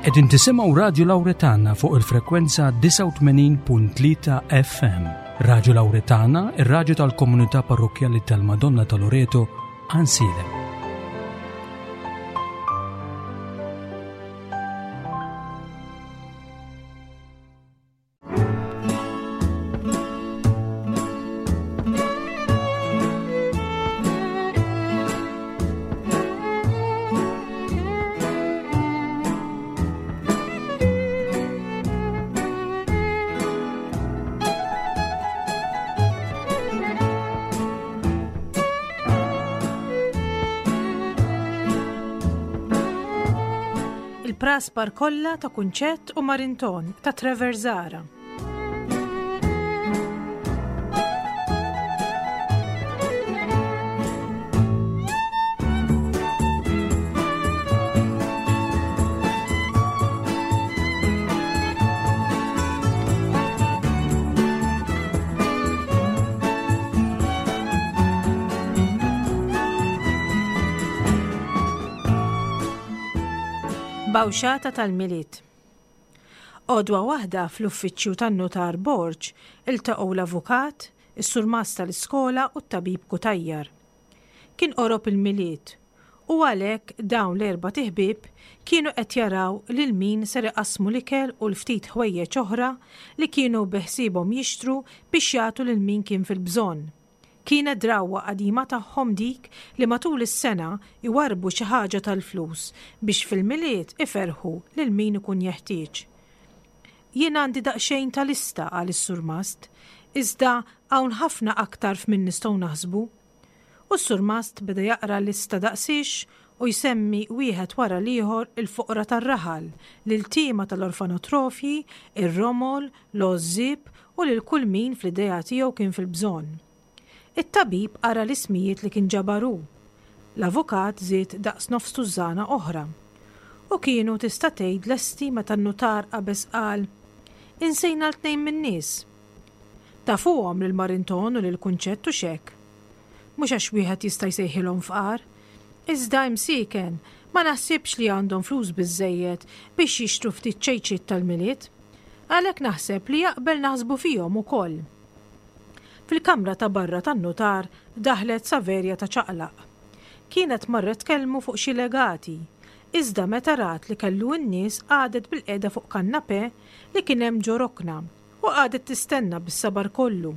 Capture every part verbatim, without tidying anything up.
Qegħdin tisimgħu Radju Lawretana fuq il-frekwenza disgħa u tmenin punt tlieta F M. Radju Lawretana, ir-radju tal-komunità parrokkjali tal-Madonna ta' Loreto, Għajnsielem. Il-praspar kollha ta' Kunċett u Marinton ta' Trevor Zahra. Bawxata tal-Milied. Għodwa waħda fl-uffiċċju tan-notar Borg iltaqgħu l-avukat, is-surmast tal-iskola u t-tabib Cutajar. Kien qorob il-Milied u għalhekk dawn l-erba' tiħbib kienu qed jaraw lil min ser iqassmu l-ikel u l-ftit ħwejjeġ oħra li kienu beħsiebhom jixtru biex jagħtu lil min kien fil-bżonn. Kienet drawwa qadima tagħhom dik li matul is-sena iwarrbu xi ħaġa tal-flus biex fil-Milied iferħu lil min ikun jeħtieġ. Jien għandi daqsxejn ta' lista, qal is-surmast, iżda hawn ħafna aktar f'min nistgħu naħsbu. U s-surmast beda jaqra lista daqsix u jsemmi wieħed wara l-ieħor il-foqra tar-raħal, lil-tima tal-orfanotrofji, ir-romol, l-għożżieb u lil kull min fl-idea tiegħu kien fil-bżonn. It-tabib qara l-ismijiet li kien ġabaru. L-avukat żied daqs nofs tużżana oħra. U kienu tista' tgħid lesti meta n-nutar qabeż qal, Insejna l-tnejn min-nies. Tafuhom lil Marinton u lil Kunċett u xek. Mhux għax wieħed jista' jsejħilhom fqar. Iżda imsiken, ma naħsibx li għandhom flus biżżejjed biex jixtru ftit ċejċiet tal-Milied. Għalhekk naħseb li jaqbel naħsbu fihom ukoll. Fil-kamra ta' barra tan-nutar daħlet Saverja ta' ċaqlaq. Kienet marret tkellmu fuq xi legati, iżda meta rat li kellu n-nies qagħdet bil-qiegħda fuq kanapè li kien hemm ġo rokna u qagħdet tistenna bis-sabar kollu.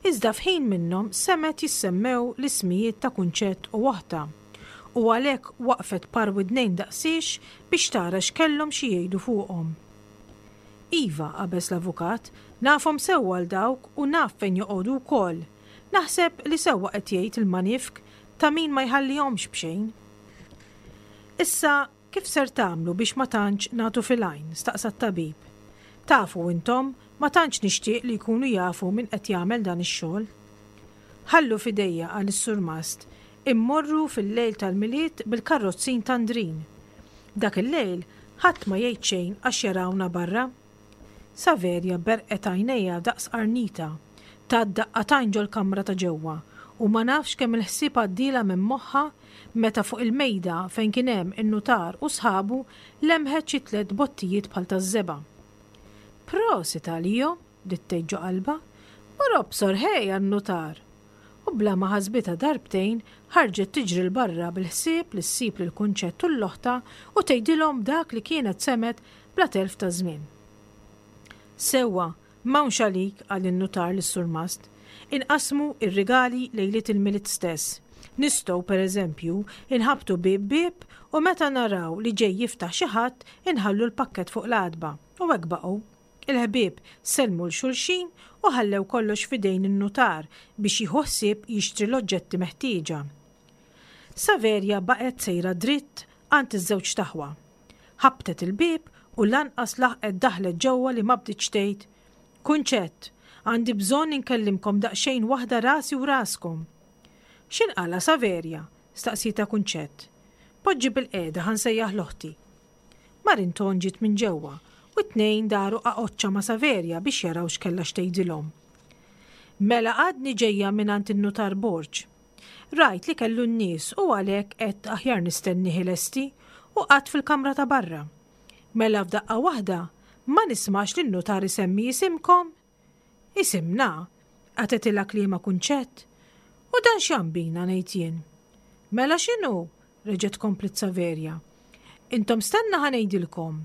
Iżda f'ħin minnhom semet jissemmew l-ismijiet ta' Kunċett u oħta, u għalhekk waqfet par widnejn daqsiex biex tara x'kellhom xi jgħidu fuqhom. Iva, qabeż l-avukat, nafhom sewwa għal dawk u naf fejn joqogħdu wkoll. Naħseb li sewwa qed jgħid il-manifk ta' min ma jħallihomx b'xejn. Issa, kif ser tagħmlu biex ma tantx nagħtu fil-għajn, staqsa t-tabib. Tafu intom, ma tantx nixtieq li jkunu jafu min qed jagħmel dan ix-xogħol. Ħallu fidejja, qal is-surmast, immorru fil-lejl tal-Milied bil-karrozzin tandrin. Dak il-lejl ħadd ma jgħid xejn għax jarawna barra. Saverja berqet għajnejha daqs qarnita, tat daqqatajn ġol-kamra ta' ġewwa u ma nafx kemm il-ħsieb għaddielha minn moħħha meta fuq il-mejda fejn kien hemm in-nutar u sħabu lemħet xi tliet bottijiet bħal taż-żebgħa. Prosit għalijo, bdiet tgħid ġo qalbha, mur obsor ħej għan-nutar. U bla ma ħasbitha darbtejn ħarġet tiġri l barra bil-ħsieb li ssib lil Kunċett u l-loħta u tgħidilhom dak li kienet semet bla telf ta' żmien. Sewwa, m'hawnx għalik, qal in-nutar lis-surmast. Inqasmu ir-rigali lejliet il-Milied stess. Nistgħu, per eżempju, inħabtu bieb bieb u meta naraw li ġej jiftaħ xi ħadd inħallu l-pakkett fuq l-għatba. U hekk baqgħu. Il-ħbieb sellmu l xulxin u ħallew kollox f'idejn in-nutar biex jieħu ħsieb jixtri l-oġġetti meħtieġa. Saverja baqgħet sejra dritt għand iż-żewġ taħwa. Ħabtet il-bieb u lanqas laħqet daħlet ġewwa li ma bdietx tgħid, Kunċett, għandi bżonn inkellimkom daqsxejn waħda rasi u raskom. X'inqala Saverja? Staqsita Kunċett. Poġġi bil-qiegħda ħa nsejjaħ l-oħti. Marinton ġiet minn ġewwa u t-tnejn daru qaqoċċa ma' Saverja biex jaraw x'kellha x'tgħidilhom. Mela għadni ġejja mingħand in-nutar Borg. Rajt li kellu n-nies u għalhekk qed aħjar nistenni ħilesti u qatt fil-kamra ta' barra. Mela f'daqqa waħda ma nismax lin-nutar isemmi isimkom? Isimna, qatgħetilha kliemha Kunċett. U dan x'jambina ngħid jien. Mela x'inhu? reġgħet kompliet Saverja. Intom stenna ħa ngħidilkom.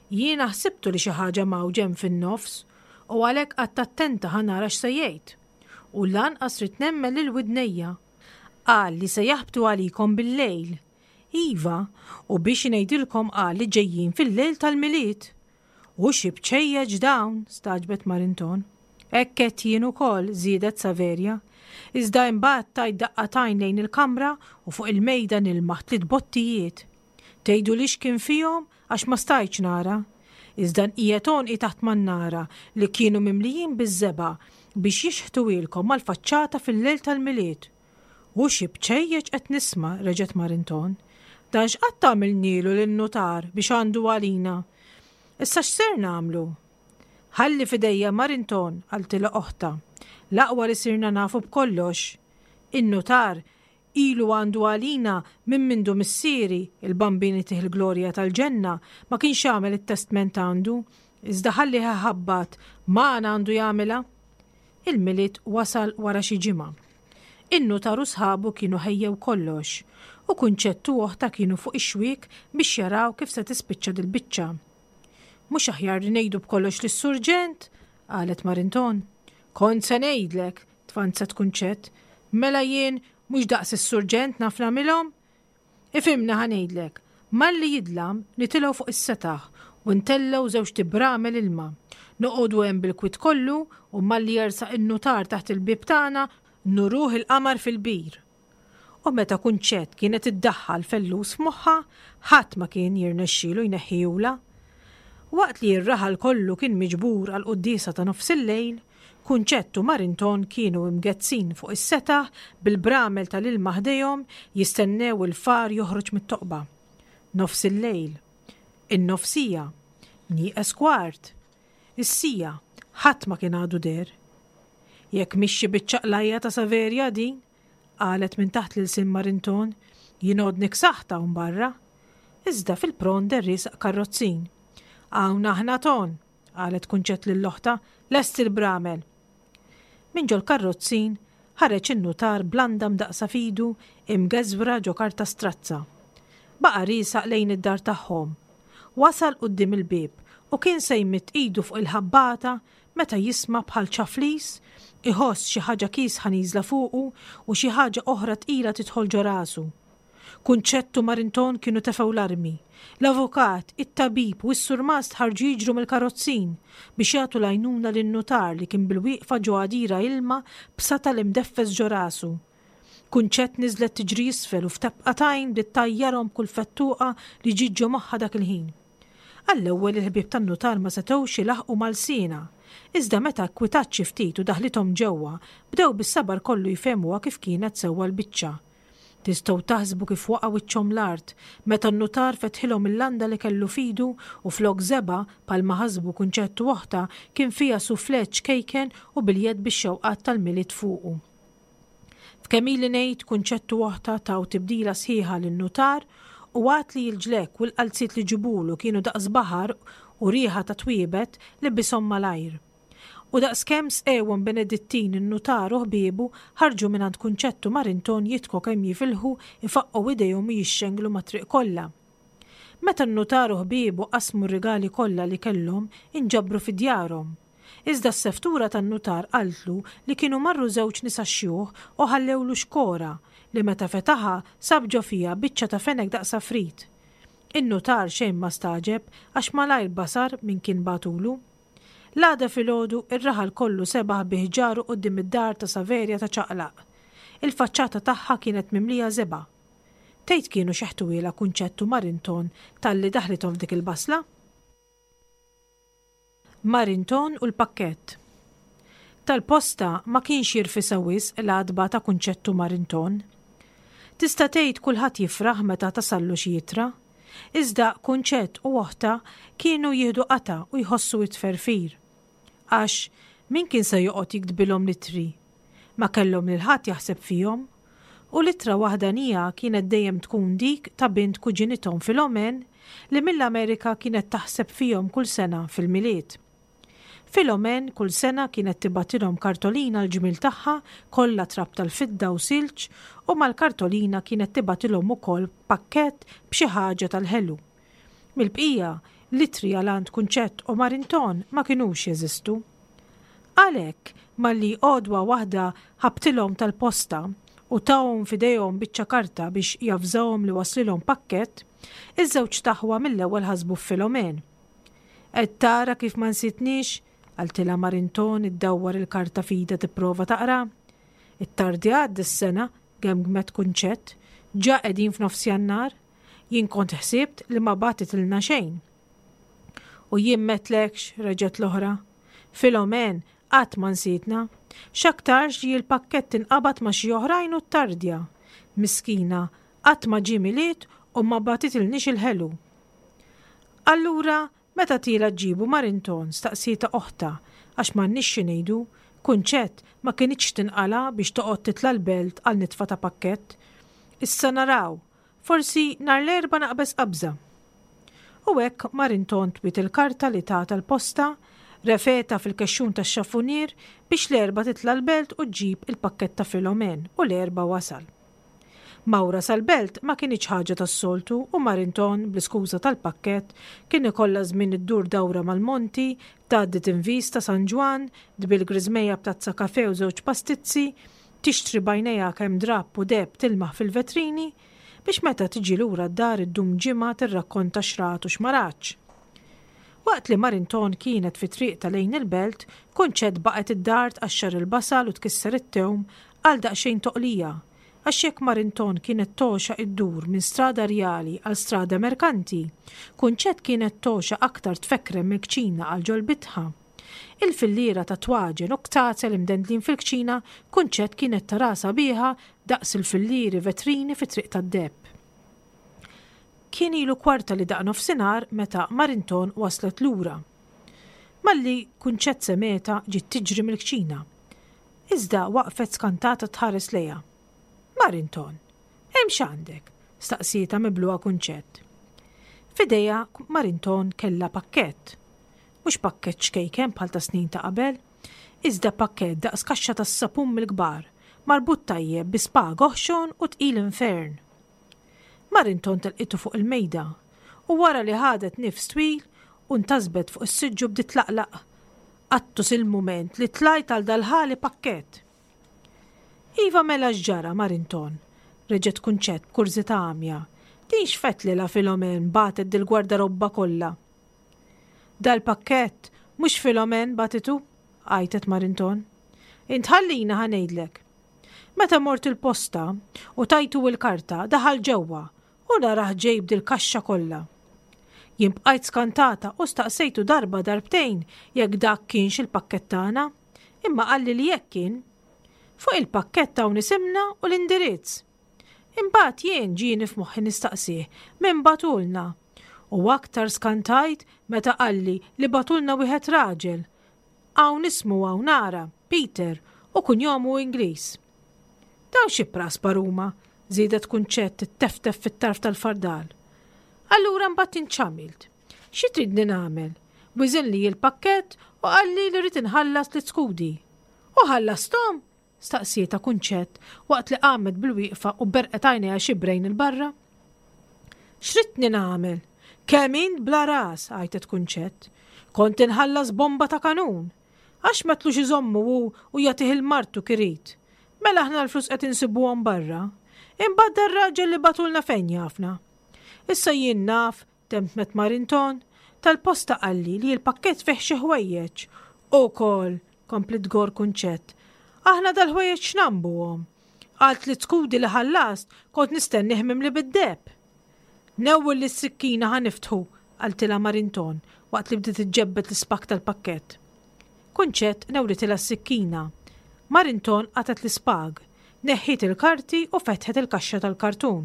Jiena ħsibtu li xi ħaġa mgħawġa hemm fin-nofs u għalhekk qgħadt attenta ħa nara x'se jgħid. U lanqas ridt nemmen lil widnejja. Qal li se jaħbtu għalikom bil-lejl. Iva, u biex ngħidilkom qal li ġejjin fil-lejl tal-Milied. U xi bċejjeġ dawn, stagħġbet Marinton. Hekk għedt jien ukoll, żiedet Saverja. Iżda imbagħad tajt daqqa t'għajn lejn il-kamra u fuq il-mejda nilmaħ tliet bottijiet. Tgħidulix x'kien fihom għax ma stajtx nara. Iżda nqiegħed għonqi taħt mannara li kienu mimlijin biż-żebgħa biex jixħtuhielkom mal-faċċata fil-lejl tal-Milied. U xi bċejjeċ qed nisma', reġgħet Marinton. Dan x'qatt għamilnielu lin-nutar biex għandu għalina? Issa x'ser nagħmlu? Ħalli f'idejja Marinton, qaltilha oħtha. L-aqwa li sirna nafu b'kollox. In-nutar ilu għandu għalina minn mindu missieri, il-Bambin itih il-glorja tal-ġenna, ma kienx għamel it-testment għandu, iżda ħallih iħabbat, magħna għandu jagħmilha. Il-Milied wasal wara xi ġimgħa. In-nutar u sħabu kienu ħejjew kollox, u Kunċett u oħtha kienu fuq ix-xwiek biex jaraw kif se tispiċċa dil-biċċa. Mhux aħjar li ngħidu b'kollox lis-surġent? qalet Marinton. Kont se ngħidlek, tfanzet Kunċett. Mela jien mhux daqs is-surġent naf nagħmilhom? Ifhimni ħa ngħidlek, malli jidlam nitilgħu fuq is-setaħ u ntellgħu żewġt ibramel ilma. Noqogħdu hemm bil-kwiet kollu u malli jersaq in-nutar taħt il-bieb tagħna nuruh il-qamar fil-bir. U meta Kunċett kienet iddaħħal fellus f'moħħha, ħadd ma kien jirnexxielu jneħħihulha. Waqt li r-raħal kollu kien miġbur għall-quddiesa ta' nofsillejl, Kunċett u Marinton kienu imgezzin fuq is-setaħ bil-bramel tal-ilma ħdejhom jistennew il-far joħroġ mit-toqba. Nofsillejl. In-nofsija. Nieqes kwart. Is-siegħa. Ħadd ma kien għadu deher. Jekk mhix xi biċċa qlajja ta' Saverja din, qalet minn taħt l-ilsien Marinton, jien għodni ksaħt hawn barra. Iżda fil-pront deher riesaq karrozzin. Hawn aħna Ton, qalet Kunċett lil oħtha, lesti l-bramel. Minn ġol-karrozzin ħareġ in-nutar b'landa mdaqqsa f'idu imgeżwra ġo karta strazza. Baqa' riesaq lejn id-dar tagħhom. Wasal quddiem il-bieb u kien se jmidd idu fuq il-ħabbata meta jisma' bħal ċaflis, iħoss xi ħaġa kiesħa nieżla fuqu u xi ħaġa oħra tqila tidħol ġo rasu. Kunċett u Marinton kienu tefgħu l-armi. L-avukat, it-tabib u s-surmast ħarġu jiġru mill-karozzin biex jagħtu l-għajnuna lin-nutar li kien bilwieqfa ġo għadira ilma b'satal imdeffes ġo rasu. Kunċett niżlet tiġri isfel u f'tebqa t'għajn bdiet tgħajjarhom b'kull fettuqa li ġiet ġo moħħha dak il-ħin. Għall-ewwel il-ħbieb tan-nutar ma setgħux ilaħħqu ma' lsienha. Iżda meta kkwitat xi ftit u daħlithom ġewwa, bdew bis-sabar kollu jfehmuha kif kienet sewwa l-biċċa. Tistgħu taħsbu kif waqa' wiċċhom l-art meta n-nutar fetħilhom il-landa li kellu f'idu u flok żebgħa, bħalma ħasbu Kunċett u oħtha, kien fiha soufflé ċkejken u biljett bix-xewqat tal-Milied fuqu. F'kemm ili ngħid Kunċett u oħtha taw tibdila sħiħa lin-nutar u għad li l-ġlekk u l-qalziet li ġibulu kienu daqs baħar u riħa ta' twiebet libishom malajr. U daqskemm sqewhom Benedittin in-nutar u ħbiebu ħarġu mingħand Kunċett u Marinton jidħku kemm jifilħu ifaqqgħu idejhom u jixxenglu mat-triq kollha. Meta n-nutar u ħbiebu qasmu r-rigali kollha li kellhom inġabru fi djarhom. Iżda s-seftura tan-nutar qaltlu li kienu marru żewġ nisa xjuħ u ħallewlu xkora li meta fetaħha sab ġo fiha biċċa ta' fenek daqs għafrit. In-nutar xejn ma stagħġeb għax malajr basar min kien bagħtulu. L-għada filgħodu ir-raħal kollu sebaħ bi ħġaru quddiem id-dar ta' Saverja ta' Ċaqlaq. Il-faċċata tagħha kienet mimlija żebgħa. Tgħid kienu xeħtuhielha Kunċett u Marinton talli daħlithom f'dik il-basla? Marinton u l-pakkett. Tal-posta ma kienx jirfisha wisq l-għatba ta' Kunċett u Marinton. Tista' tgħid kulħadd jifraħ meta tasallu xi ittra. Iżda Kunċett u oħtha kienu jieħdu qatgħa u jħossu t-tferfir. Għax min kien se joqgħod jiktbilhom l-ittri? Ma kellhom lil ħadd jaħseb fihom. U l-ittra waħdanija kienet dejjem tkun dik ta' bint kuġinithom Filomen li mill-Amerika kienet taħseb fihom kull sena fil-Milied. Filomen kull sena kienet tibgħatilhom kartolina l-ġmiel tagħha kollha trab tal-fidda u silġ u mal-kartolina kienet tibgħatilhom ukoll pakkett b'xi ħaġa tal-ħelu. Mill-bqija, l-ittri għal għand Kunċett u Marinton ma kinux jeżistu. Għalhekk, malli għodwa waħda ħabtilhom tal-posta u tahom f'idejhom biċċa karta biex javżahom li waslilhom pakkett, iż-żewġt aħwa mill-ewwel ħasbu f'Filomen. Qed tara kif ma nsitniex? Qaltilha Marinton iddawwar il-karta f'idha tipprova taqra. Ittardjat dis-sena, gemgmet Kunċett, ġa qegħdin f'nofs Jannar. Jien kont ħsibt li ma bagħtitilna xejn. U jien m'għedtlekx, reġgħet l-oħra. Filomen qatt ma nsietna. X'aktarx li l-pakkett inqabad ma' xi oħrajn u ttardja. Miskina, qatt ma ġie Milied u ma bagħtitilniex il-ħelu. Allura, meta tiela' ġġibu Marinton? Staqsietha oħtha, għax m'għandniex xi ngħidu, Kunċett ma kinitx tinqala' biex toqgħod titla' l-belt għal nitfa ta' pakkett. Issa naraw, forsi nhar l-Erbgħa naqbeż qabża. U hekk Marinton twiet il-karta li tagħta l-posta, refeta fil-kexxun tax-xafunier biex l-Erbgħa titla' l-belt u ġġib il-pakkett ta' Filomen u l-Erbgħa wasal. Mawra sal-belt ma kinitx ħaġa tas-soltu u Marinton, bl-iskuża tal-pakkett, kien ikollha żmien iddur dawra mal-monti, tgħaddi tinvis ta' San Ġwann, tbil griżmejja b'tazza kafè u żewġ pastizzi, tixtri b'għajnejha kemm drapp u deheb tilmaħ fil-vetrini, biex meta tiġi lura d-dar iddum ġimgħa tirrakkonta x'rat u x'ma ratx. Waqt li Marinton kienet fi triqtha lejn il-belt, Kunċett baqgħet id-dar tqaxxar il-basal u tkisser it-tewm għal daqsxejn toqlija, għax jekk Marinton kienet togħxa iddur minn strada rjali għal strada merkanti, Kunċett kienet togħxa aktar tfekrem mill-kċina għal ġol-bitħa. Il-filliera ta' twaġen u ktazel imdendlin fil-kċina, Kunċett kienet tara sabiħa daqs il-fillieri vetrini fi triq tad-deheb. Kien ilu kwarta li daq nofsinhar meta Marinton waslet lura. Malli Kunċett semgħetha ġiet tiġri mill-kċina. Iżda waqfet skantata tħares lejha. Marinton, hemm x'għandek? Staqsietha mibluha Kunċett. F'idejha Marinton kellha pakkett. Mhux pakkett ċkejken bħal ta' snin ta' qabel, iżda pakkett daqs kaxxa tas-sapun mill-kbar, marbut tajjeb bi spag oħxon u tqil infern. Marinton telqitu fuq il-mejda u wara li ħadet nifs twil u ntasbet fuq is-siġġu bdiet tlaqlaq. Qattus il-mument li tlajt għal dal-ħali pakkett. Iva mela x'ġara Marinton, reġgħet Kunċett b'kurżità għamja. Din x'fettlilha Filomen bagħtet dil-gwardarobba kollha. Dal-pakkett mhux Filomen bagħtitu, għajtet Marinton. Int ħallina ħa ngħidlek. Meta mort il-posta u tajtu il-karta daħal ġewwa u narah ġejb dil-kaxxa kollha. Jien bqajt skantata u staqsejtu darba darbtejn jekk dak kienx il-pakkett tagħna, imma qalli li jekk kien. Fuq il-pakkett hawn isimna u l-indirizz. Imbagħad jien ġieni f'moħħi nistaqsih min bagħtulna. U aktar skantajt meta qalli li bagħtulna wieħed raġel. Hawn ismu hawn ara, Peter, u kunjomu Ingliż. Dawn xi praspar huma, żiedet Kunċett tteftef fit-tarf tal-fardal. Allura mbagħad int x'għamilt? Xi tridni nagħmel? Wiżinli l-pakkett u qalli li rrid inħallas tliet skudi. U ħallasthom? Staqsietha Kunċett waqt li qamet bil-wieqfa u berqet għajnejha xibrejn il-barra. X'ridtni nagħmel? Kemm int bla ras, għajtet Kunċett. Kont inħallas bomba ta' kanun. Għax ma tlux iżommu hu u jagħtih il-martu kirid. Mela aħna l-flus qed insibuhom barra. Imbagħad dar-raġel li bagħtulna fejn jafna. Issa jien naf, temtmet Marinton, tal-posta qalli li l-pakkett fih xi ħwejjeġ. Ukoll, komplet tgorr Kunċett. Aħna dal-ħwejjeġ x'nambuhom? Għal tliet skudi li ħallast kont nistennih mimli bid-deheb. Newwel li s-sikkina ħa niftħu, qaltilha Marinton waqt li bdiet iġġebbed l-ispak tal-pakkett. Kunċett newlitilha s-sikkina. Marinton qatgħet l-ispag, neħħiet il-karti u fetħet il-kaxxa tal-kartun.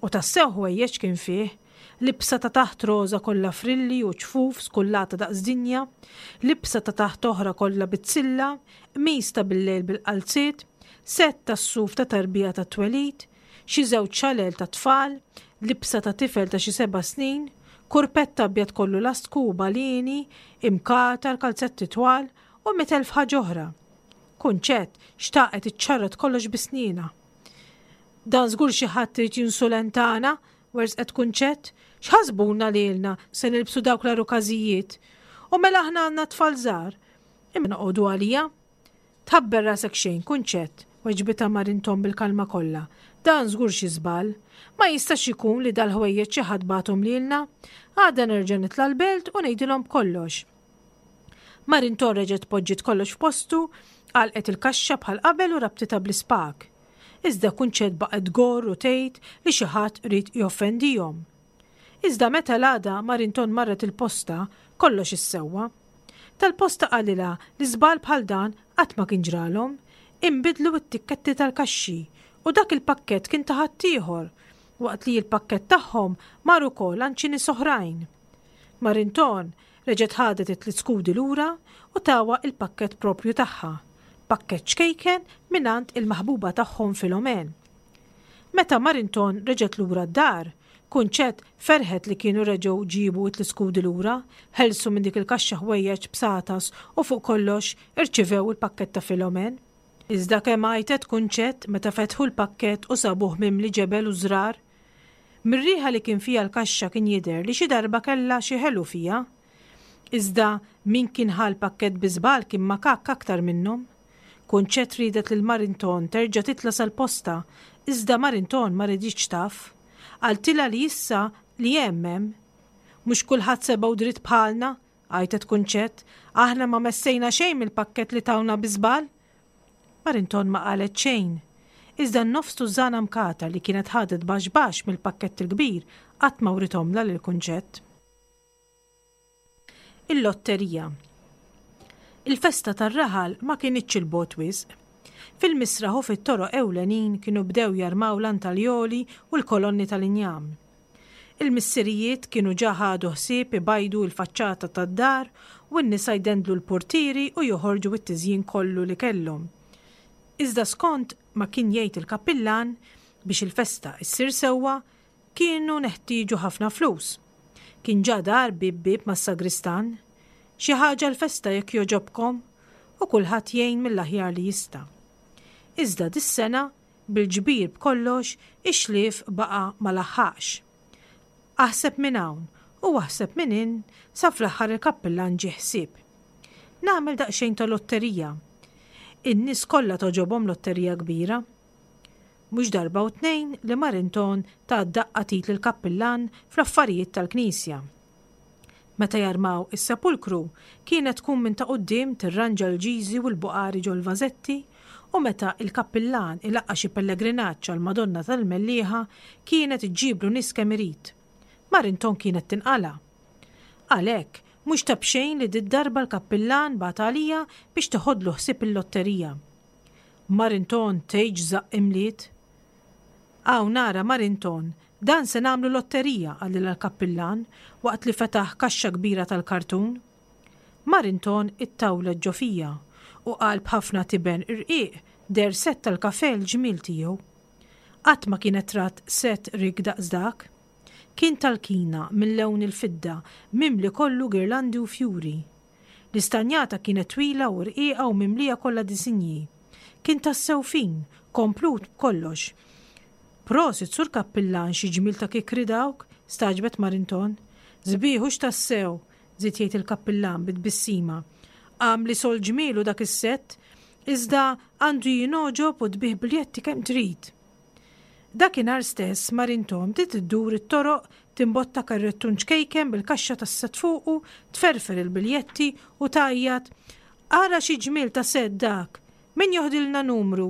U tassew ħwejjeġ kien fih, libsa ta' taħt roża kollha frilli u ċfuf skullata daqs dinja, libsa ta' taħt oħra kollha bizzilla, qmis ta' bil-lejl bil-qalziet, Sett tas-suf ta' tarbija tat-twelid, xi żewġ xalel tat-tfal, libsa ta' tifel ta' xi seba' snin, kurpett abjad kollu lastku u balieni, imkatar, kalzetti twal u mitt elf ħaġa oħra. Kunċett xtaqet iċċarrat kollox bi snienha. Dan żgur xi ħadd irid jinsulentana, werżqet Kunċett, x'ħasbuna lilna se nilbsu dawk l-arukażijiet? U mela aħna għandna tfal żgħar. Imma noqogħdu għalija. Tħabber rasek xejn, Kunċett, weġbitha Marinton bil-kalma kollha. Dan żgur xi żball. Ma jistax ikun li dal-ħwejjeġ xi ħadd bagħathom lilna. Għada nerġa' nitla' l-belt u ngħidilhom b'kollox. Marinton reġgħet poġġiet kollox f'postu, għalqet il-kaxxa bħal qabel u rabtitha bl-ispag. Iżda Kunċett baqgħet tgorr u tgħid li xi ħadd ried joffendihom. Iżda meta l-għada Marinton marret il-posta, kollox issewwa. Tal-posta qalilha li żball bħal dan qatt ma kien ġralhom, inbidlu t-tikketti tal-kaxxi u dak il-pakkett kien ta' ħaddieħor, waqt li l-pakkett tagħhom mar ukoll għand xi nies oħrajn. Marinton reġgħet ħadet it-tliet skudi lura u tawha il-pakkett proprju tagħha, pakkett ċkejken mingħand il-maħbuba tagħhom Filomen. Meta Marinton reġgħet lura d-dar, Kunċett ferħet li kienu reġgħu ġiebu t-tliet skudi lura, ħelsu minn dik il-kaxxa ħwejjeġ b'satas u fuq kollox irċivew il-pakkett ta' Filomen. Iżda kemm għajtet Kunċett meta fetħu l-pakkett u sabuh mimli ġebel u żrar. Mir-riħa li kien fiha l-kaxxa kien jidher li xi darba kellha xi ħelu fiha. Iżda min kien ħa l-pakkett bi żball kien makakk aktar minnhom. Kunċett riedet lil Marinton terġa' titla' sal-posta, iżda Marinton ma riditx taf. Qaltilha li issa li hemm hemm. Mhux kulħadd seba' u dritt bħalna, għajtet Kunċett, aħna ma messejna xejn mill-pakkett li tawna bi żball. Marinton ma qalet xejn. Iżda n-nofs tużżana mkata li kienet ħadet baxx baxx mill-pakkett il-kbir qatt ma writhomlha lil Kunċett. Il-lotterija. Il-festa tar-raħal ma kinitx 'il bogħod wisq. Fil-misraħ u fit-toroq ewlenin kienu bdew jarmaw l-antaljoli u l-kolonni tal-injam. Il-missirijiet kienu ġa ħadu ħsieb ibajdu l-faċċata tad-dar u n-nisa jdendlu l-portieri u joħorġu t-tiżjin kollu li kellhom. Iżda skont ma kien jgħid il-kappillan biex il-festa issir sewwa kienu neħtieġu ħafna flus. Kien ġa dar bieb bieb mas-sagristan. Xi ħaġa l-festa jekk jogħġobkom u kulħadd jgħin mill-aħjar li jista'. Iżda dis-sena bil-ġbir b'kollox ix-xlief baqa' ma laħħaqx. Aħseb minn hawn u aħseb minn hinn sa fl-aħħar il-kappillan ġie ħsieb. Nagħmel daqsxejn ta' lotterija. In-nies kollha togħġobhom lotterija kbira. Mhux darba u tnejn li Marinton ta daqqa t'id lill-kappillan fl-affarijiet tal-knisja. Meta jarmaw is-sepulkru kienet tkun minn ta' quddiem tirranġa l-ġiżi u l-buqari ġol-vażetti u meta il-kappillan ilaqqa' xi pellegrinaġġ għall-Madonna tal-Mellieħa kienet iġġiblu nies kemm irid. Marinton kienet tinqala'. Għalhekk mhux ta' b'xejn li did-darba l-kappillan bagħat għalija biex teħodlu ħsieb il-lotterija. Marinton tgħidx żaqq imliet. Hawn nara Marinton, dan se nagħmlu lotterija, qalilha l-kappillan waqt li fetaħ kaxxa kbira tal-kartun. Marinton ittawlet ġo fija u qalb ħafna tiben irqiq deher sett tal-kafè l-ġmiel tiegħu. Qatt ma kienet rat sett rikk daqs dak. Kien tal-kina minn lewn il-fidda mimli kollu girlandi u fjuri. L-istanjata kienet twila u rqiqa u mimlija kollha disinji. Kien tassew fin, komplut b'kollox. Prosit sur kappillan xi ġmiel ta' kikri dawk, stagħġbet Marinton. Sbieħ hux tassew, żied jgħid il-kappillan bi tbissima. Għamli sol ġmielu dak is-sett, iżda għandu jingħoġob u tbigħ biljetti kemm trid. Dakinhar stess Marinton bdiet iddur it-toroq timbotta karrettun ċkejken bil-kaxxa tas-sett fuqu, tferfer il-biljetti u tgħajjat, Ara xi ġmiel ta' sett dak! Min joħdilna numru?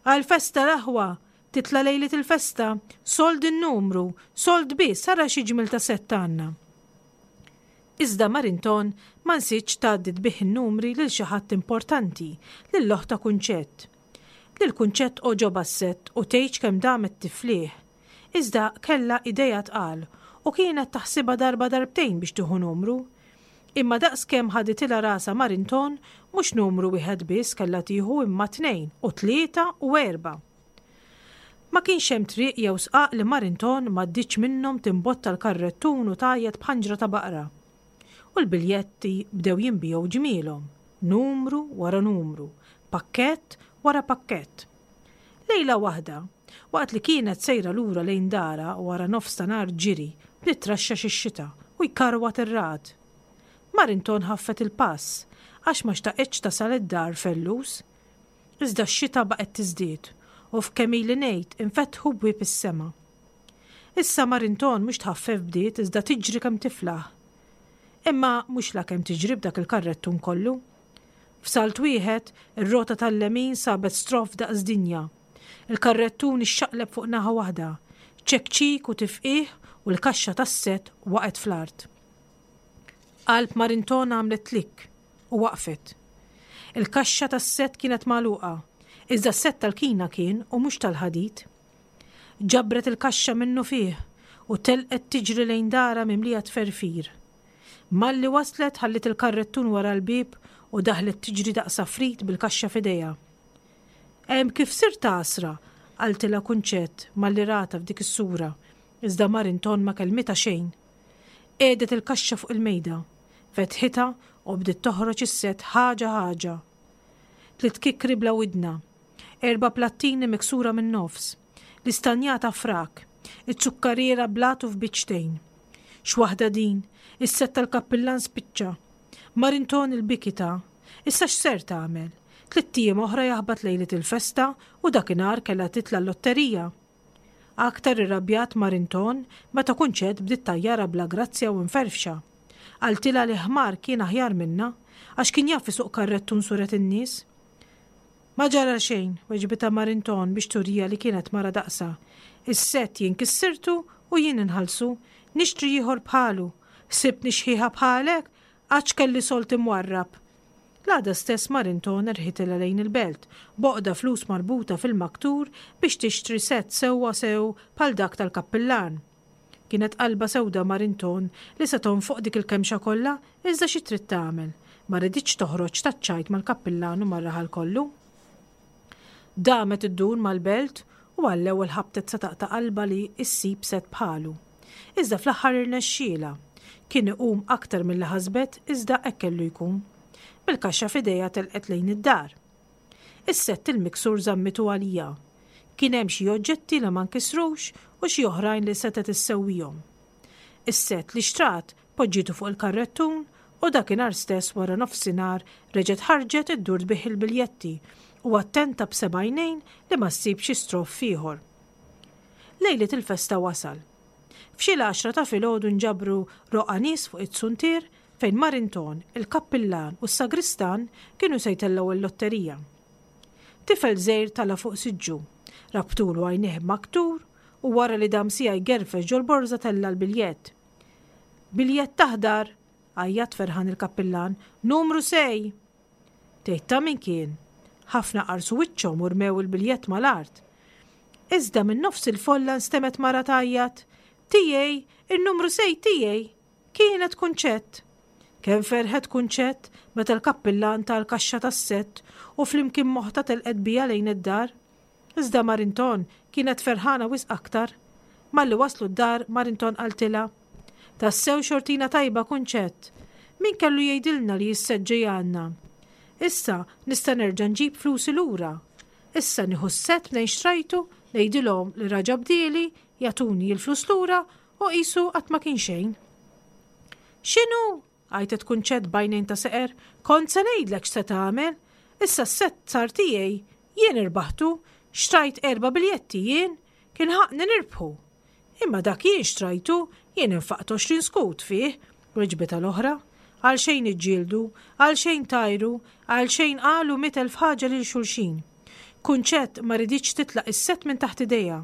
Għall-festa l-aħwa! Titla' lejliet il-festa! Sold in-numru! Sold biss, ara xi ġmiel ta' sett għandna! Iżda Marinton ma nsietx tgħaddi tbigħ in-numri lil xi ħadd importanti, lil oħtha Kunċett. Lil Kunċett għoġobha s-sett u tgħidx kemm damet tiflih. Iżda kellha idejha tqal u kienet taħsibha darba darbtejn biex tieħu numru. Imma daqskemm ħaditilha rasha Marinton, mhux numru wieħed biss kellha tieħu imma tnejn u tlieta u erba'. Ma kienx hemm triq jew sqaq li Marinton m'għaddietx minnhom timbotta l-karrettun u tgħajjat b'ħanġra ta' baqra. U l-biljetti bdew jinbiegħu ġmielhom, numru wara numru, pakkett wara pakkett. Lejla waħda, waqt li kienet sejra lura lejn darha wara nofs ta' nhar ġiri, bdiet traxxax ix-xita u jkarwat ir-ragħad. Marinton ħaffet il-pass għax ma xtaqitx tasal id-dar fellus. Iżda x-xita baqgħet tiżdied u f'kemm ili ngħid infetħu bwieb is-sema. Issa Marinton mhux tħaffef bdiet iżda tiġri kemm tiflaħ. Imma mhux la kemm tiġri b'dak il-karrettun kollu. F'salt wieħed, ir-rota tal-lemin sabet stroff daqs dinja. Il-karrettun ixxaqleb fuq naħa waħda, ċekċik u tifqih u l-kaxxa tas-sett waqgħet fl-art. Qalb Marinton għamlet klikk u waqfet. Il-kaxxa tas-sett kienet magħluqa, iżda s-sett tal-kina kien u mhux tal-ħadid. Ġabret il-kaxxa minnufih u telqet tiġri lejn darha mimlija tferfir. Malli waslet ħalliet il-karrettun wara l-bieb u daħlet tiġri daqs għafrid bil-kaxxa f'idejha. Hemm kif sirt għasra, qaltilha Kunċett malli ratha f'dik is-sura, iżda Marinton ma kellmitha xejn. Qiegħdet il-kaxxa fuq il-mejda, fetħitha u bdiet toħroġ is-sett ħaġa ħaġa. Tliet kikri bla widna, erba' plattini miksura min-nofs, l-istanjata frak, iz-zukkariera blatu f'biċċtejn. X'waħda din, is-sett tal-kappillan spiċċa. Marinton il-biki ta. Issa x'ser tagħmel? Tlitt ijiem oħra jaħbat lejliet il-festa u dakinhar kellha titla' l-lotterija. Aktar irrabjat Marinton meta Kunċett bdiet tgħajjarha bla grazzja u mferfxa. Qaltilha li ħmar kien aħjar minnha għax kien jaf isuq karrettun suret in-nies. Ma ġara xejn, weġbitha Marinton biex turiha li kienet mara daqsha. Is-sett jien kissirtu u jien inħallsu, nixtri ieħor bħalu. Ħsibtni xħiħa bħalek? Għax kelli sold imwarrab. L-għada stess Marinton rħitilha lejn il-belt, b'għoqda flus marbuta fil-maktur biex tixtri sett sewwa sew bħal dak tal-kappillan. Kienet qalbha sewda Marinton li se tonfoq dik il-kemxa kollha, iżda xi trid tagħmel? Ma riditx toħroġ taċ-ċajt mal-kappillan u mar-raħal kollu. Damet iddur mal-belt u għall-ewwel ħabtet sa taqta' qalbha li ssib sett bħalu. Iżda fl-aħħar irnexxielha. Kien iqum aktar milli ħasbet iżda hekk kellu jkun. Bil-kaxxa f'idejha telqet lejn id-dar. Is-sett il-miksur żammitu għalija. Kien hemm xi oġġetti li ma nkisrux u xi oħrajn li setgħet issewwihom. Is-sett li xtrat poġġietu fuq il-karrettun u dakinhar stess wara nofsinhar reġgħet ħarġet iddur tbigħ il-biljetti u attenta b'seba' għajnejn li ma ssib xi stroff ieħor. Lejliet il-festa wasal. F'xi l-għaxra ta' filgħodu nġabru roqgħa nies fuq it-suntier fejn Marinton, il-kappillan u s-sagristan kienu se jtellgħu l-lotterija. Tifel żgħir tala' fuq siġġu, rabtulu għajnejh b'maktur u wara li dam siegħa jgerfex ġol-borża tella' l-biljett. Biljett aħdar! għajjat ferħan il-kappillan, numru sej! Tgħid ta' min kien? Ħafna qarsu wiċċhom u rmew il-biljett mal-art. Iżda minn nofs il-folla nstemgħet mara tgħajjat, Tiegħi, in-numru sej tiegħi! Kienet Kunċett! Kemm ferħet Kunċett meta l-kappillan ta l-kaxxa tas-sett u flimkien m'oħtha telqet biha lejn id-dar. Iżda Marinton kienet ferħana wisq aktar. Malli waslu d-dar Marinton qaltilha, Tassew xortina tajba Kunċett! Min kellu jgħidilna li s-sett ġej għandna? Issa nista' nerġa' nġib flusi lura. Issa nieħu s-sett mnejn xtrajtu, ngħidilhom li raġa' bdieli, jagħtuni l-flus lura u qisu qatt ma kien xejn. X'inhu? għajtet Kunċett b'għajnejn ta' seqer. Kont se ngħidlek x'se tagħmel. Issa s-sett sar tiegħi. Jien irbaħtu. Xtrajt erba' biljetti jien. Kien ħaqqni nirbħu. Imma dak jien xtrajtu, jien infaqt għoxrin skut fih, weġbitha l-oħra. Għalxejn iġġieldu, għalxejn tajru, għalxejn qalu mitt elf ħaġa lil xulxin. Kunċett ma riditx titlaq is-sett minn taħt idejha.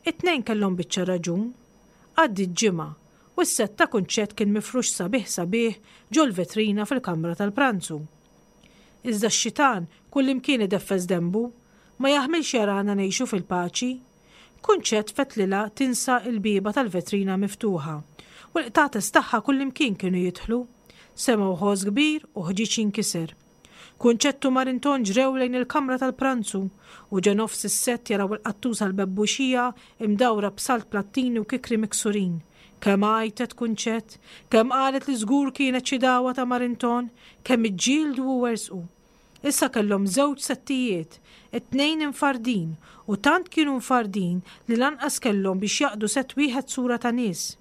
It-tnejn kellhom biċċa raġun. Għaddiet ġimgħa, u s-sett ta' Kunċett kien mifrux sabiħ sabiħ ġol-vetrina fil-kamra tal-pranzu. Iżda x-xitan kullimkien ideffes denbu, ma jaħmilx jarana ngħixu fil-paċi. Kunċett fetlilha tinsa l-bieba tal-vetrina miftuħa, u l-qtates tagħha kullimkien kienu jidħlu. Semgħu ħoss kbir u ħġieġ jinkiser. Kunċett u Marinton ġrew lejn il-kamra tal-pranzu u ġo nofs is-sett jaraw il-qattusa l-bebbuxija imdawra b'salt plattini u kikri miksurin. Kemm għajtet Kunċett, kemm qalet li żgur kienet xi dagħwa ta' Marinton, kemm iġġieldu u werżqu. Issa kellhom żewġ settijiet, it-tnejn imfardin, u tant kienu mfardin li lanqas kellhom biex jaqdu sett wieħed sura ta' nies.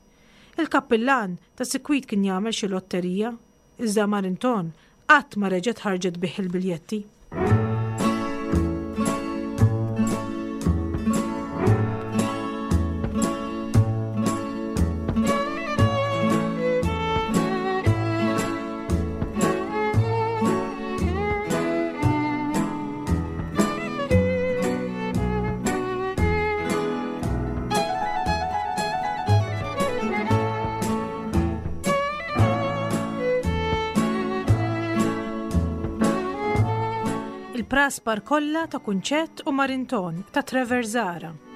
Il-kappillan ta' sikwit kien jagħmel xi lotterija, iżda Marinton qatt ma reġgħet ħarġet bih il-biljetti. Il-Praspar kollha ta' Kunċett u Marinton ta' Trevor Zahra.